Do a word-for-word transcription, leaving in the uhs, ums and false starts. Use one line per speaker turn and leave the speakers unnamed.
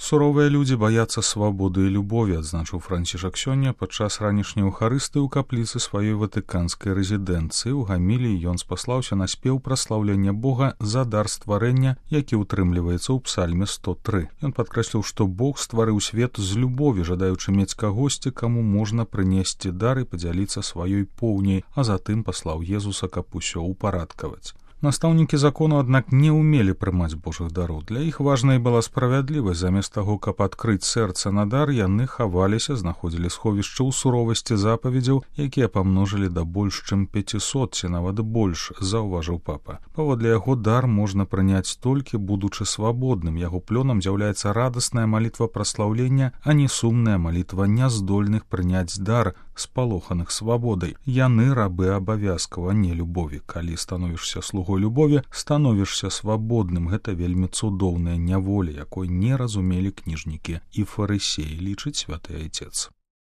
Суровыя людзі баяцца свабоды і любові, адзначыў Францішак сёння падчас ранішняй эўхарыстыі ў капліцы сваёй ватыканскай рэзідэнцыі. У гаміліі ён спаслаўся на спеў праслаўлення Бога за дар стварэння, які ўтрымліваецца ў псальме сто тры. Ён падкрэсліў, што Бог стварыў свет з любові, жадаючы мець кагосьці, каму можна прынесці дар і падзяліцца сваёй поўняй, а затым паслаў Езуса, каб усё ўпарадкаваць. Настаўнікі закону, аднак, не ўмелі прымаць Божых дароў. Для іх важнай была справядлівасць. Замест таго, каб адкрыць сэрца на дар, яны хаваліся, знаходзілі сховішча ў суровасці запаведзяў, якія памножылі да больш чым пяцісот, ці нават больш, заўважыў папа. Паводле яго, дар можна прыняць толькі будучы свабодным. Яго плёнам з'яўляецца радасная малітва праслаўлення, а не сумная малітва няздольных прыняць дар, спалоханых свабодай. Яны рабы абавязкаў, а не любові. Калі становішся слугой любові, становішся свабодным. Гэта вельмі цудоўная няволя, якой не разумелі кніжнікі і фарысеі, лічыць святы айцец.